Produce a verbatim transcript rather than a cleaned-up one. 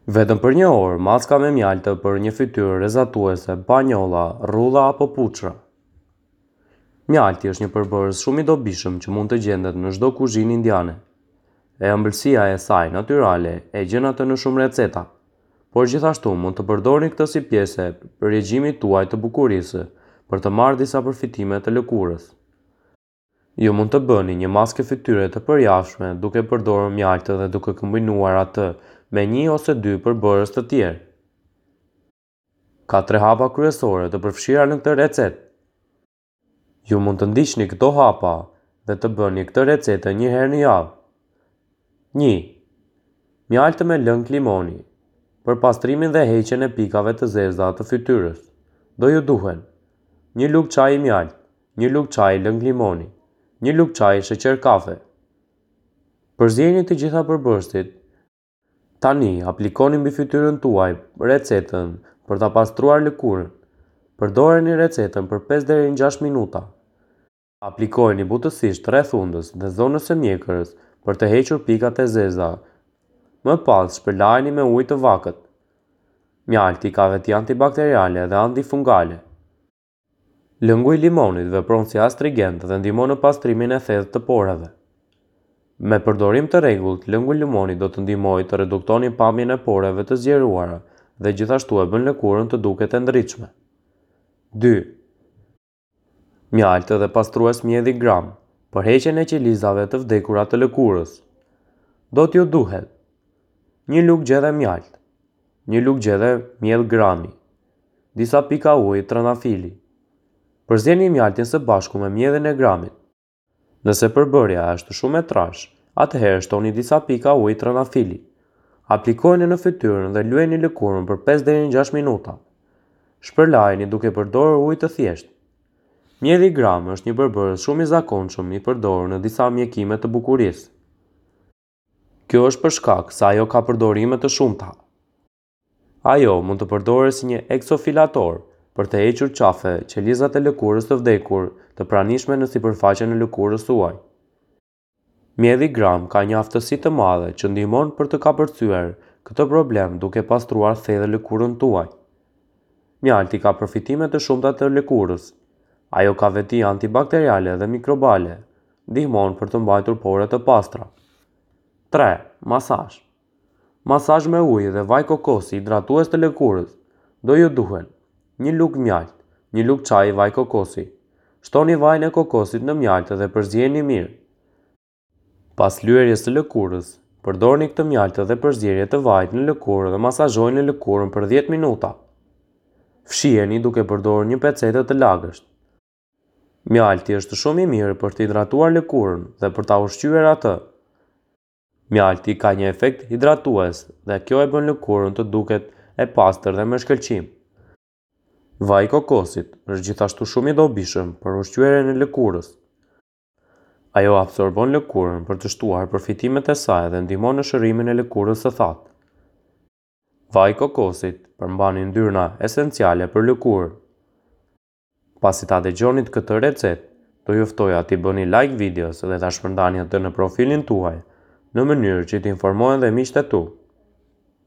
Vetëm për një orë, maska me mjaltë për një fytyrë rrezatuese pa njolla, rrudha apo puçra. Mjalti është një përbërës shumë i dobishëm që mund të gjendet në çdo kuzhinë indiane. E ëmbëlsia e saj natyrale e gjen atë në shumë receta, por gjithashtu mund të përdorni këtë si pjesë e regjimit tuaj të bukurisë për të marrë disa përfitime të lëkurës. Ju mund të bëni një maskë fytyre të përjavshme duke përdorur mjaltë dhe duke kombinuar atë me një ose dy përbërës të tjerë. Ka tre hapa kryesore të përfshira në këtë recetë. Ju mund të ndiqni këto hapa dhe të bëni këtë recetë një herë në javë. Një. Mjaltë me lëng limoni për pastrimin dhe heqjen e pikave të zeza të fytyrës. Do ju duhen një lugë çaji mjaltë, një lugë çaji lëng limoni, një lugë çaji sheqer kafe. Përziejini të gjitha përbërësit. Tani aplikoni mbi fytyrën tuaj recetën për ta pastruar lëkurën. Përdoreni recetën për pesë deri në gjashtë minuta. Aplikojeni butësisht rreth hundës dhe zonës së mjekrës për të hequr pikat e zeza. Më pas shpërlajeni me ujë të vakët. Mjalti ka veti antibakteriale dhe antifungale. Lëngu i limonit vepron si astrigent dhe ndihmon në pastrimin e thellë të poreve. Me përdorim të rregullt, lëngu i limonit do të ndihmojë të reduktoni pamjen e poreve të zgjeruara dhe gjithashtu e bën lëkurën të duket e ndritshme. Dy. Mjaltë dhe pastrues mielli gram për heqjen e qelizave të vdekura të lëkurës. Do t'ju duhet një lugë gjedhe mjaltë, një lugë gjedhe miell grami, disa pika ujë trëndafili. Përzieni mjaltin së bashku me miellin e gramit. Nëse përbërja është shumë e trashë, atëherë shtoni disa pika ujë trëndafili. Aplikojeni në fytyrën dhe lyeni lëkurën për pesë deri në gjashtë minuta. Shpërlajeni duke përdorur ujë të thjeshtë. Mielli gram është një përbërës shumë i zakonshëm i përdorur në disa mjekime të bukurisë. Kjo është për shkak se ajo ka përdorime të shumta. Ajo mund të përdoret si një eksofilator për të hequr qafe qelizat e lëkurës të vdekur të pranishme në sipërfaqen e lëkurës suaj. Mielli gram ka një aftësi të madhe që ndihmon për të kapërcyer këtë problem duke pastruar thellë lëkurën tuaj. Mjalti ka përfitime të shumta të lëkurës. Ajo ka veti antibakteriale dhe mikrobale, ndihmon për të mbajtur poret të pastra. Tre. Masazh. Masazh me ujë dhe vaj kokosi hidratues të lëkurës. Do ju duhen një lugë mjaltë, një lugë çaji vaj kokosi. Shtoni vajin e kokosit në mjaltë dhe përzieni mirë. Pas lyerjes së lëkurës, përdorni këtë mjaltë dhe përzierje të vajit në lëkurë dhe masazhojeni lëkurën për dhjetë minuta. Fshiheni duke përdorur një pecetë të lagësht. Mjalti është shumë i mirë për të hidratuar lëkurën dhe për ta ushqyer atë. Mjalti ka një efekt hidratues dhe kjo e bën lëkurën të duket e pastër dhe me shkëlqim. Vaji i kokosit është gjithashtu shumë i dobishëm për ushqyerjen e lëkurës. Ajo absorbon lëkurën për të shtuar përfitimet e saj dhe ndihmon në shërimin e lëkurës së thatë. Vaji i kokosit përmban yndyrna esenciale për lëkurën. Pasi ta dëgjoni këtë recetë, do ju ftoja t'i bëni like videos dhe ta shpërndani atë në profilin tuaj, në mënyrë që të informohen dhe miqtë e tu.